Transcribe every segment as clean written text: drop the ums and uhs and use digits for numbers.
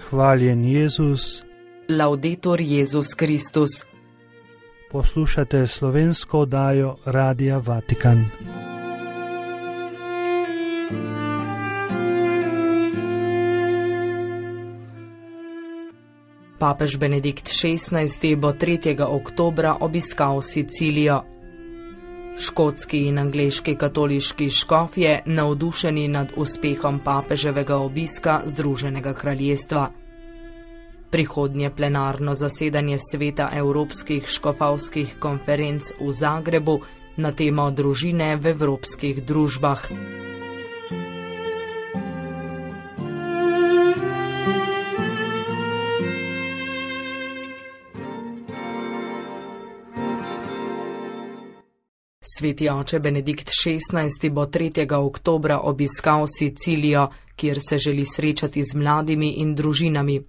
Hvaljen Jezus. Laudetur Jezus Kristus. Poslušate slovensko oddajo Radia Vatikan. Papež Benedikt XVI. Bo 3. oktobra obiskal Sicilijo. Škotski in angleški katoliški škofje navdušeni nad uspehom papeževega obiska Združenega kraljestva. Prihodnje plenarno zasedanje Sveta evropskih škofovskih konferenc v Zagrebu na temo družine v evropskih družbah. Sveti oče Benedikt XVI. Bo 3. oktobra obiskal Sicilijo, kjer se želi srečati z mladimi in družinami.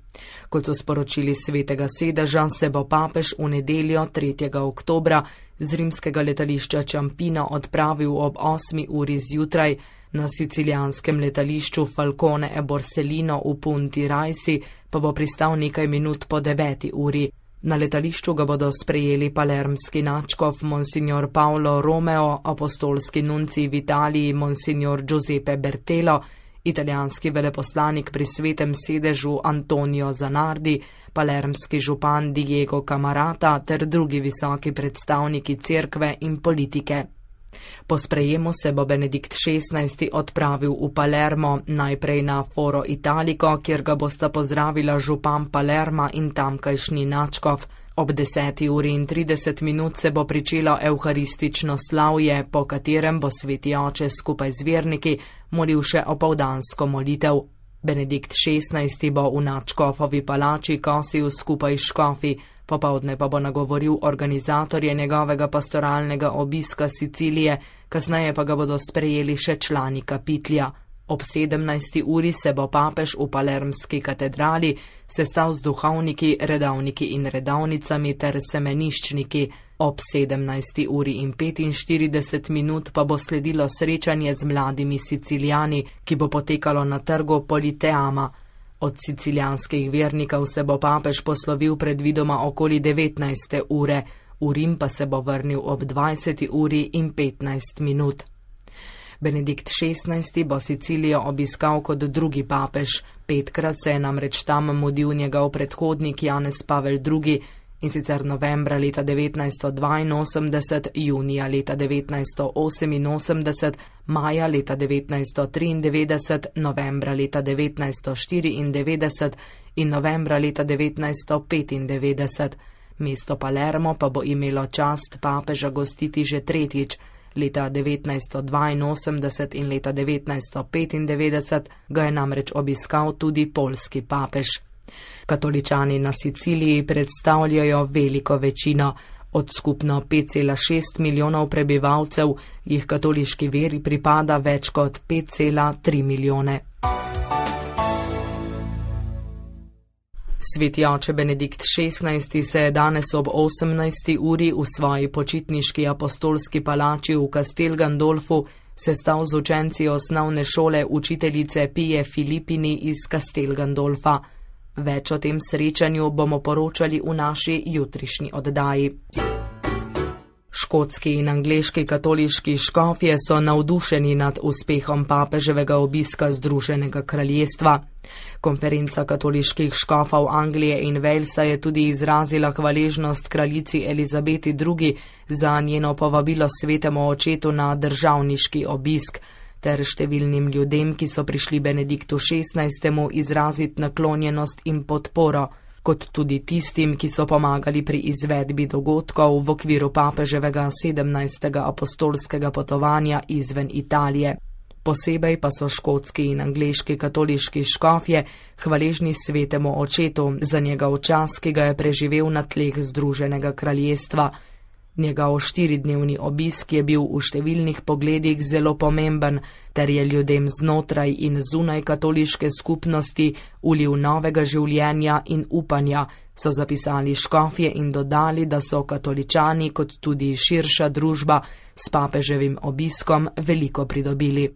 Kot so sporočili svetega sedeža, se bo papež v nedeljo 3. oktobra z rimskega letališča Ciampino odpravil ob 8. uri zjutraj, na sicilijanskem letališču Falcone e Borsellino v Punti Raisi pa bo pristal nekaj minut po 9. uri. Na letališču ga bodo sprejeli palermski nadškof Monsignor Paolo Romeo, apostolski nuncij v Italiji Monsignor Giuseppe Bertelo, italijanski veleposlanik pri svetem sedežu Antonio Zanardi, palermski župan Diego Camarata ter drugi visoki predstavniki cerkve in politike. Po sprejemu se bo Benedikt XVI. Odpravil v Palermo, najprej na Foro Italico, kjer ga bosta pozdravila župan Palerma in tamkajšnji nadškof. Ob 10:30 se bo pričelo evharistično slavje, po katerem bo sveti oče skupaj z verniki molil še opoldansko molitev. Benedikt XVI. Bo v nadškofovi palači kosil skupaj s škofi, popoldne pa bo nagovoril organizatorje njegovega pastoralnega obiska Sicilije, kasneje pa ga bodo sprejeli še člani kapitlja. Ob 17. uri se bo papež v palermski katedrali sestal z duhovniki, redovniki in redovnicami ter semeniščniki. Ob 17:45 pa bo sledilo srečanje z mladimi Sicilijani, ki bo potekalo na trgu Politeama. Od sicilijanskih vernikov se bo papež poslovil predvidoma okoli 19. ure, v Rim pa se bo vrnil ob 20:15. Benedikt XVI. Bo Sicilijo obiskal kot drugi papež. 5-krat se je namreč tam mudil njegov predhodnik Janez Pavel II, in sicer novembra leta 1982, junija leta 1988, maja leta 1993, novembra leta 1994 in novembra leta 1995. Mesto Palermo pa bo imelo čast papeža gostiti že tretjič. Leta 1982 in leta 1995 ga je namreč obiskal tudi poljski papež. Katoličani na Siciliji predstavljajo veliko večino. Od skupno 5,6 milijonov prebivalcev jih katoliški veri pripada več kot 5,3 milijone. Sveti oče Benedikt XVI. Se je danes ob 18. uri v svoji počitniški apostolski palači v Castel Gandolfu sestal z učenci osnovne šole učiteljice Pije Filipini iz Castel Gandolfa. Več o tem srečanju bomo poročali v naši jutrišnji oddaji. Škotski in angleški katoliški škofje so navdušeni nad uspehom papeževega obiska Združenega kraljestva. Konferenca katoliških škofov Anglije in Walesa je tudi izrazila hvaležnost kraljici Elizabeti II. Za njeno povabilo svetemu očetu na državniški obisk, ter številnim ljudem, ki so prišli Benediktu XVI. Izraziti naklonjenost in podporo, kot tudi tistim, ki so pomagali pri izvedbi dogodkov v okviru papeževega 17. apostolskega potovanja izven Italije. Posebej pa so škotski in angleški katoliški škofje hvaležni svetemu očetu za njegov čas, ki ga je preživel na tleh Združenega kraljestva. Njegov 4-dnevni obisk je bil v številnih pogledih zelo pomemben, ter je ljudem znotraj in zunaj katoliške skupnosti ulil novega življenja in upanja, so zapisali škofje in dodali, da so katoličani kot tudi širša družba s papeževim obiskom veliko pridobili.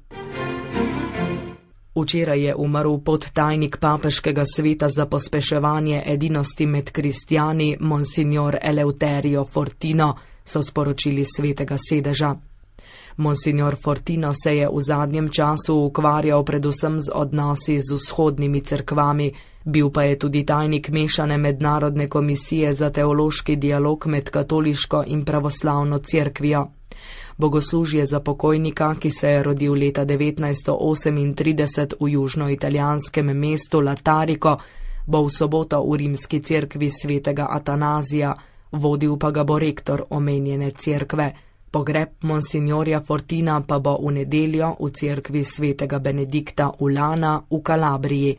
Včeraj je umrl podtajnik papeškega sveta za pospeševanje edinosti med kristjani, monsignor Eleuterio Fortino, so sporočili svetega sedeža. Monsignor Fortino se je v zadnjem času ukvarjal predvsem z odnosi z vzhodnimi cerkvami, bil pa je tudi tajnik mešane mednarodne komisije za teološki dialog med katoliško in pravoslavno cerkvijo. Bogoslužje za pokojnika, ki se je rodil leta 1938 v južnoitalijanskem mestu Latariko, bo v soboto v rimski cerkvi svetega Atanazija, vodil pa ga bo rektor omenjene cerkve. Pogreb monsignorja Fortina pa bo v nedeljo v cerkvi svetega Benedikta Ulana v Kalabriji.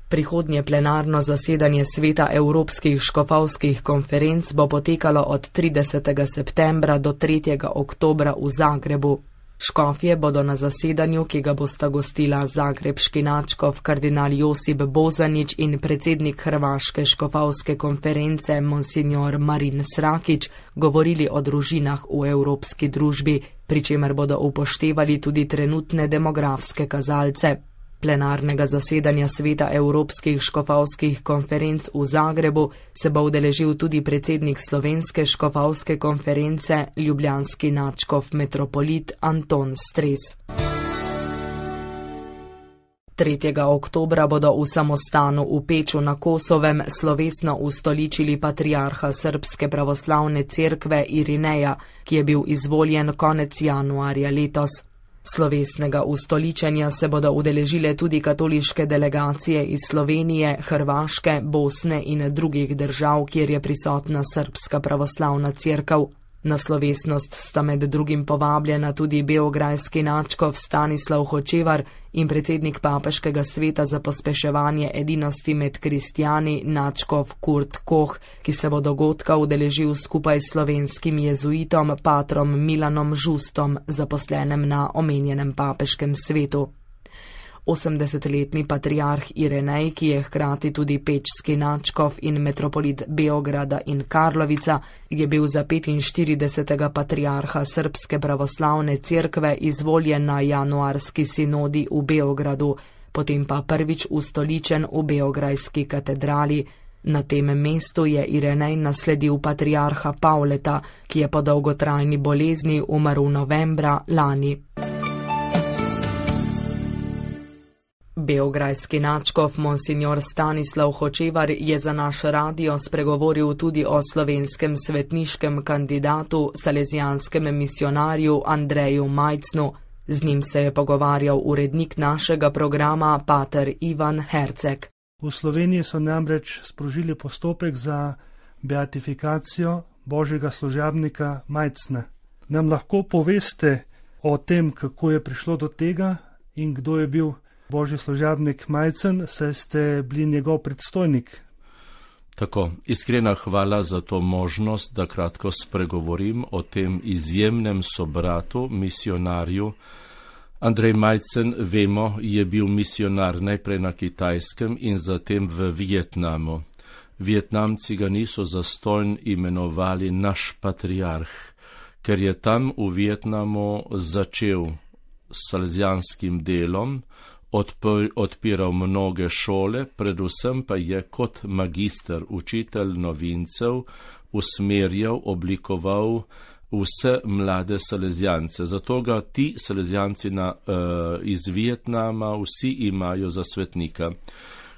Prihodnje plenarno zasedanje sveta Evropskih škofovskih konferenc bo potekalo od 30. septembra do 3. oktobra v Zagrebu. Škofje bodo na zasedanju, ki ga bosta gostila zagrebški nadškof kardinal Josip Bozanić in predsednik Hrvaške škofovske konference monsignor Marin Srakić, govorili o družinah v evropski družbi, pri čemer bodo upoštevali tudi trenutne demografske kazalce. Plenarnega zasedanja sveta Evropskih škofovskih konferenc v Zagrebu se bo udeležil tudi predsednik Slovenske škofovske konference, ljubljanski nadškof metropolit Anton Stres. 3. oktobra bodo v samostanu v Peču na Kosovem slovesno ustoličili patriarha Srbske pravoslavne cerkve Irineja, ki je bil izvoljen konec januarja letos. Slovesnega ustoličenja se bodo udeležile tudi katoliške delegacije iz Slovenije, Hrvaške, Bosne in drugih držav, kjer je prisotna Srbska pravoslavna cerkev. Na slovesnost sta med drugim povabljena tudi beograjski nadškof Stanislav Hočevar in predsednik papeškega sveta za pospeševanje edinosti med kristjani nadškof Kurt Koh, ki se bo dogodka udeležil skupaj s slovenskim jezuitom patrom Milanom Žustom, zaposlenem na omenjenem papeškem svetu. 80-letni patriarh Irinej, ki je hkrati tudi pečski nadškof in metropolit Beograda in Karlovica, je bil za 45. patriarha Srbske pravoslavne cerkve izvoljen na januarski sinodi v Beogradu, potem pa prvič ustoličen v beograjski katedrali. Na tem mestu je Irinej nasledil patriarha Pavleta, ki je po dolgotrajni bolezni umrl novembra lani. Beograjski nadškof monsignor Stanislav Hočevar je za naš radio spregovoril tudi o slovenskem svetniškem kandidatu, salezijanskem misionarju Andreju Majcnu. Z njim se je pogovarjal urednik našega programa, pater Ivan Herceg. V Sloveniji so namreč sprožili postopek za beatifikacijo božjega služabnika Majcna. Nam lahko poveste o tem, kako je prišlo do tega in kdo je bil božji služabnik Majcen, saj ste bili njegov predstojnik? Tako, iskrena hvala za to možnost, da kratko spregovorim o tem izjemnem sobratu, misionarju. Andrej Majcen, vemo, je bil misionar najprej na Kitajskem in zatem v Vietnamu. Vietnamci ga niso zastonj imenovali naš patriarh, ker je tam v Vietnamu začel s salezijanskim delom, odpiral mnoge šole, predvsem pa je kot magister, učitelj novincev, usmerjal, oblikoval vse mlade salezijance. Zato ga ti salezijanci iz Vietnama vsi imajo za svetnika.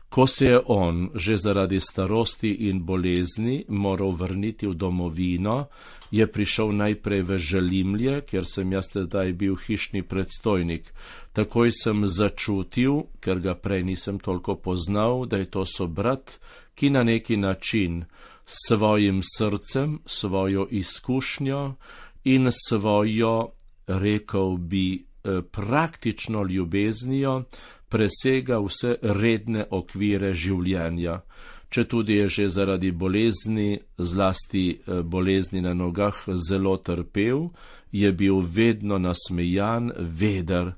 Ko se je on že zaradi starosti in bolezni moral vrniti v domovino, je prišel najprej v Želimlje, kjer sem jaz tedaj bil hišni predstojnik. Takoj sem začutil, ker ga prej nisem toliko poznal, da je to sobrat, ki na neki način svojim srcem, svojo izkušnjo in svojo, rekel bi, praktično ljubeznijo presega vse redne okvire življenja. Četudi je že zaradi bolezni, zlasti bolezni na nogah, zelo trpel, je bil vedno nasmejan, veder.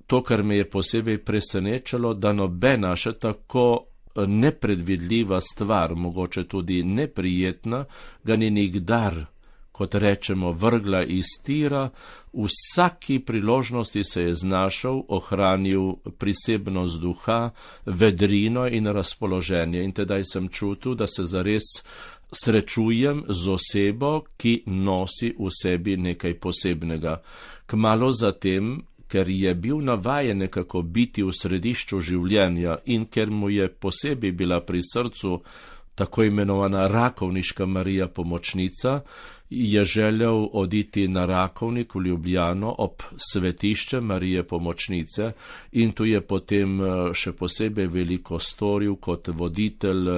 To, kar me je posebej presenečalo, da nobena še tako nepredvidljiva stvar, mogoče tudi neprijetna, ga ni nikdar kot rečemo, vrgla iz tira, vsaki priložnosti se je znašel, ohranil prisebnost duha, vedrino in razpoloženje. In tedaj sem čutil, da se zares srečujem z osebo, ki nosi v sebi nekaj posebnega. Kmalu zatem, ker je bil navajen nekako biti v središču življenja in ker mu je posebej bila pri srcu tako imenovana Rakovniška Marija Pomočnica, je želel oditi na Rakovnik v Ljubljano ob svetišče Marije Pomočnice in tu je potem še posebej veliko storil kot voditelj,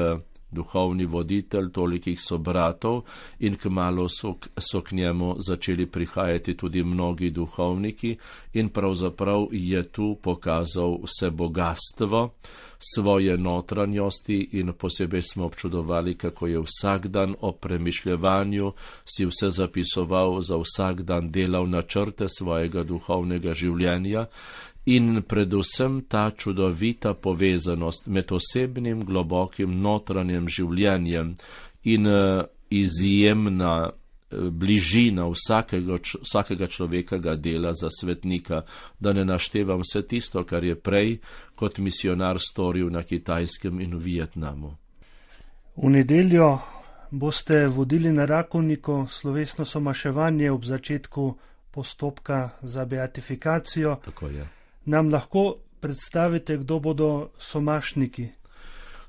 duhovni voditelj tolikih sobratov in kmalu so k njemu začeli prihajati tudi mnogi duhovniki in pravzaprav je tu pokazal vse bogatstvo svoje notranjosti in posebej smo občudovali, kako je vsak dan o premišljevanju si vse zapisoval, za vsak dan delal načrte svojega duhovnega življenja in predvsem ta čudovita povezanost med osebnim, globokim notranjem življenjem in izjemna bližina vsakega človekega dela za svetnika, da ne naštevam vse tisto, kar je prej kot misionar storil na Kitajskem in v Vietnamu. V nedeljo boste vodili na Rakovniku slovesno somaševanje ob začetku postopka za beatifikacijo. Tako je. Nam lahko predstavite, kdo bodo somašniki?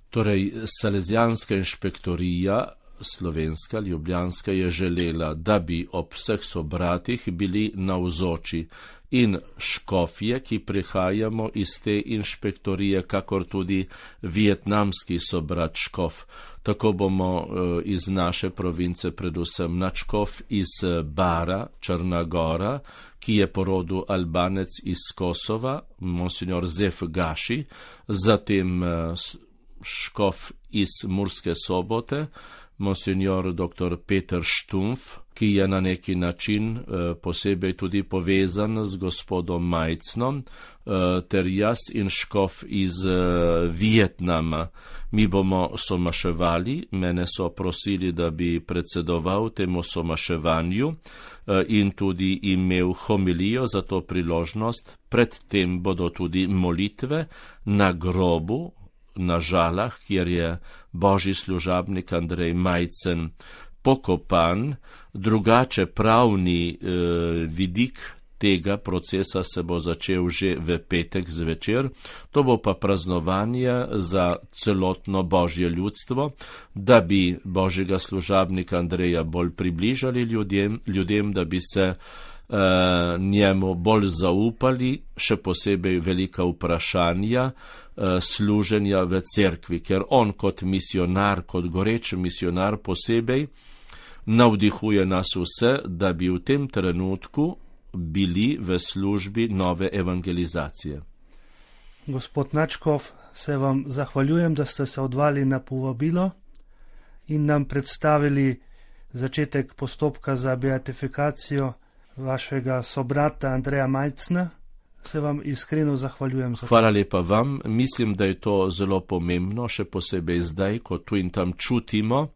Torej, Salezijanska inšpektorija slovenska, ljubljanska, je želela, da bi ob vseh sobratih bili navzoči in škofje, ki prihajamo iz te inšpektorije, kakor tudi vietnamski sobrat škof. Tako bomo iz naše province predvsem nadškof iz Bara, Črna Gora, ki je po rodu Albanec iz Kosova, monsignor Zef Gaši, zatem škof iz Murske Sobote, monsignor dr. Peter Štumf, ki je na neki način posebej tudi povezan z gospodom Majcnom, ter jaz in škof iz Vietnama. Mi bomo somaševali, mene so prosili, da bi predsedoval temu somaševanju in tudi imel homilijo za to priložnost. Predtem bodo tudi molitve na grobu, na Žalah, kjer je božji služabnik Andrej Majcen pokopan. Drugače pravni vidik tega procesa se bo začel že v petek zvečer. To bo pa praznovanje za celotno božje ljudstvo, da bi božjega služabnika Andreja bolj približali ljudem, da bi se njemu bolj zaupali, še posebej velika vprašanja služenja v cerkvi, ker on kot misionar, kot goreč misionar posebej navdihuje nas vse, da bi v tem trenutku bili v službi nove evangelizacije. Gospod Nadškof, se vam zahvaljujem, da ste se odzvali na povabilo in nam predstavili začetek postopka za beatifikacijo vašega sobrata Andreja Majcna. Se vam iskreno zahvaljujem za to. Hvala lepa vam. Mislim, da je to zelo pomembno, še posebej zdaj, ko tu in tam čutimo,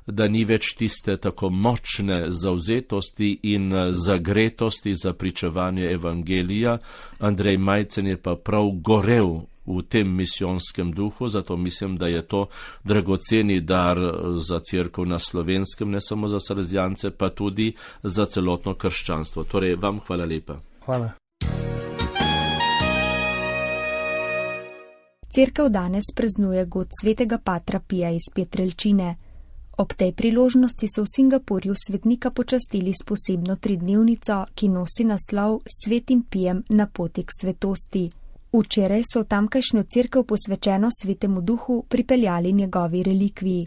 da ni več tiste tako močne zavzetosti in zagretosti za pričevanje evangelija. Andrej Majcen je pa prav gorel v tem misijonskem duhu, zato mislim, da je to dragoceni dar za cerkev na Slovenskem, ne samo za Salezijance, pa tudi za celotno krščanstvo. Torej, vam hvala lepa. Hvala. Cerkev danes praznuje god svetega Patra Pija iz Pietrelčine. Ob tej priložnosti so v Singapurju svetnika počastili s posebno 3-dnevnico, ki nosi naslov Svetim Pijem na poti k svetosti. Včeraj so v tamkajšnjo cerkev posvečeno Svetemu Duhu pripeljali njegovi relikviji.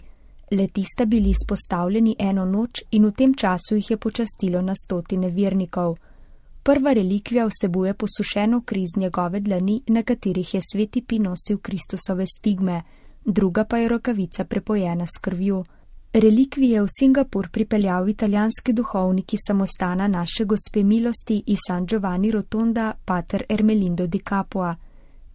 Le-ti sta bili izpostavljeni eno noč in v tem času jih je počastilo na 100 vernikov. Prva relikvija vsebuje posušeno kri z njegove dlani, na katerih je Sveti Pij nosil Kristusove stigme, druga pa je rokavica prepojena s krvjo. Relikvije je v Singapur pripeljal italijanski duhovnik iz samostana Naše Gospe milosti iz San Giovanni Rotonda, pater Ermelindo di Capua.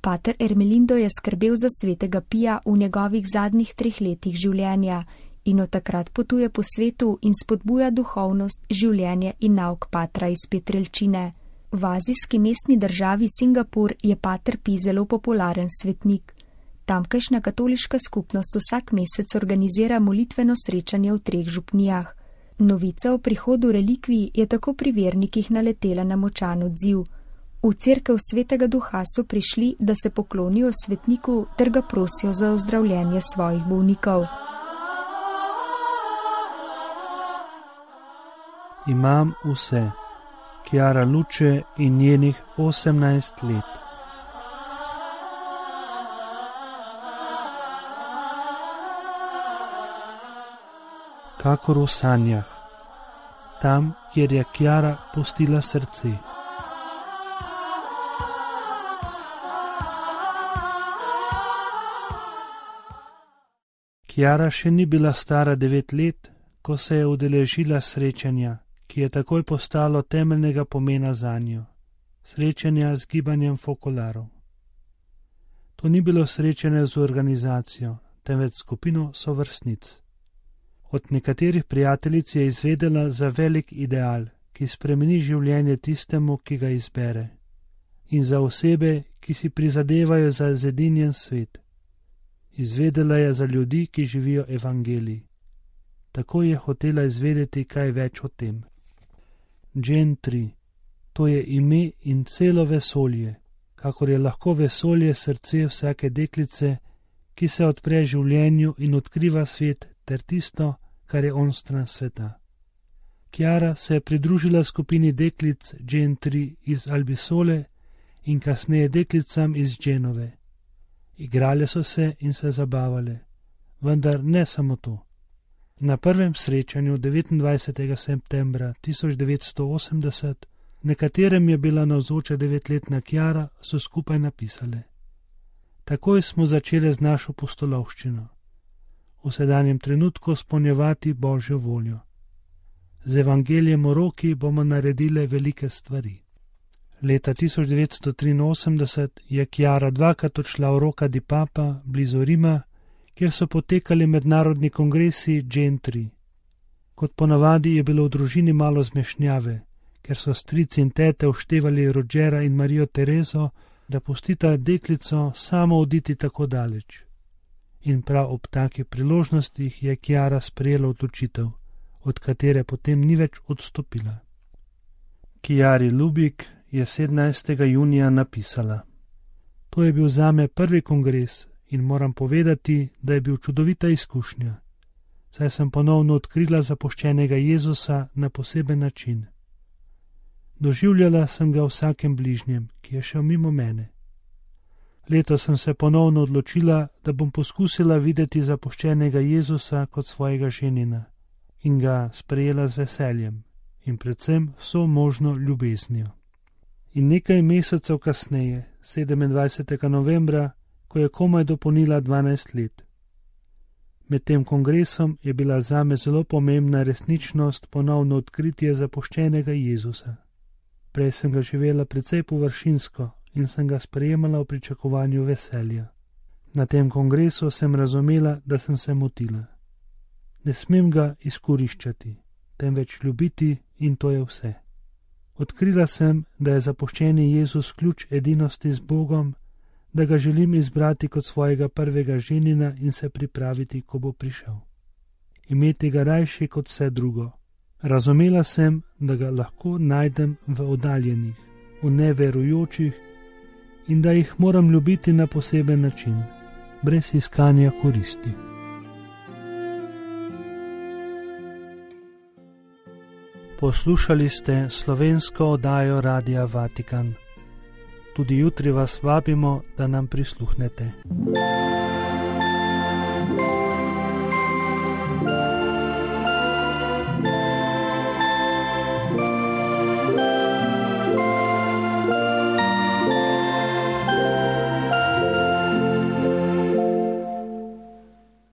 Pater Ermelindo je skrbel za Svetega Pija v njegovih zadnjih 3 letih življenja in od takrat potuje po svetu in spodbuja duhovnost, življenje in nauk patra iz Petrelčine. V azijski mestni državi Singapur je pater Pi zelo popularen svetnik. Tamkajšnja katoliška skupnost vsak mesec organizira molitveno srečanje v 3 župnijah. Novica o prihodu relikvij je tako pri vernikih naletela na močan odziv. V cerkev Svetega Duha so prišli, da se poklonijo svetniku ter ga prosijo za ozdravljenje svojih bolnikov. Imam vse. Chiara Luce in njenih 18 let. Kakor v sanjah, tam, kjer je Chiara pustila srce. Chiara še ni bila stara 9 let, ko se je udeležila srečanja, ki je takoj postalo temeljnega pomena zanjo, srečanja z gibanjem fokolarov. To ni bilo srečanje z organizacijo, temveč skupino sovrstnic. Od nekaterih prijateljic je izvedela za velik ideal, ki spremeni življenje tistemu, ki ga izbere, in za osebe, ki si prizadevajo za zedinjen svet. Izvedela je za ljudi, ki živijo evangelij. Tako je hotela izvedeti kaj več o tem. Gen 3. To je ime in celo vesolje, kakor je lahko vesolje srce vsake deklice, ki se odpre življenju in odkriva svet ter tisto, kar je onstran sveta. Chiara se je pridružila skupini deklic Gen 3 iz Albisole in kasneje deklicam iz Genove. Igrale so se in se zabavale, vendar ne samo to. Na prvem srečanju 29. septembra 1980, na katerem je bila navzoča 9-letna Chiara, so skupaj napisale: Takoj smo začeli z našo pustolovščino. V sedanjem trenutku spolnjevati Božjo voljo. Z evangelijem v roki bomo naredile velike stvari. Leta 1983 je Chiara 2krat odšla v Rocca di Papa blizu Rima, kjer so potekali mednarodni kongresi Gen 3. Kot ponavadi je bilo v družini malo zmešnjave, ker so strici in tete uštevali Rogera in Marijo Terezo, da pustita deklico samo oditi tako daleč. In prav ob takih priložnostih je Chiara sprejela odločitev, od katere potem ni več odstopila. Chiari Lubik je 17. junija napisala: To je bil zame prvi kongres in moram povedati, da je bil čudovita izkušnja, saj sem ponovno odkrila zapuščenega Jezusa na poseben način. Doživljala sem ga vsakem bližnjem, ki je šel mimo mene. Letos sem se ponovno odločila, da bom poskusila videti zapuščenega Jezusa kot svojega ženina in ga sprejela z veseljem in predvsem vso možno ljubeznijo. In nekaj mesecev kasneje, 27. novembra, ko je komaj dopolnila 12 let. Med tem kongresom je bila zame zelo pomembna resničnost ponovno odkritje zapuščenega Jezusa. Prej sem ga živela precej površinsko in sem ga sprejemala v pričakovanju veselja. Na tem kongresu sem razumela, da sem se motila. Ne smem ga izkoriščati, temveč ljubiti in to je vse. Odkrila sem, da je zapuščeni Jezus ključ edinosti z Bogom, da ga želim izbrati kot svojega prvega ženina in se pripraviti, ko bo prišel. Imeti ga rajši kot vse drugo. Razumela sem, da ga lahko najdem v oddaljenih, v neverujočih in da jih moram ljubiti na poseben način, brez iskanja koristi. Poslušali ste slovensko oddajo Radia Vatikan. Tudi jutri vas vabimo, da nam prisluhnete.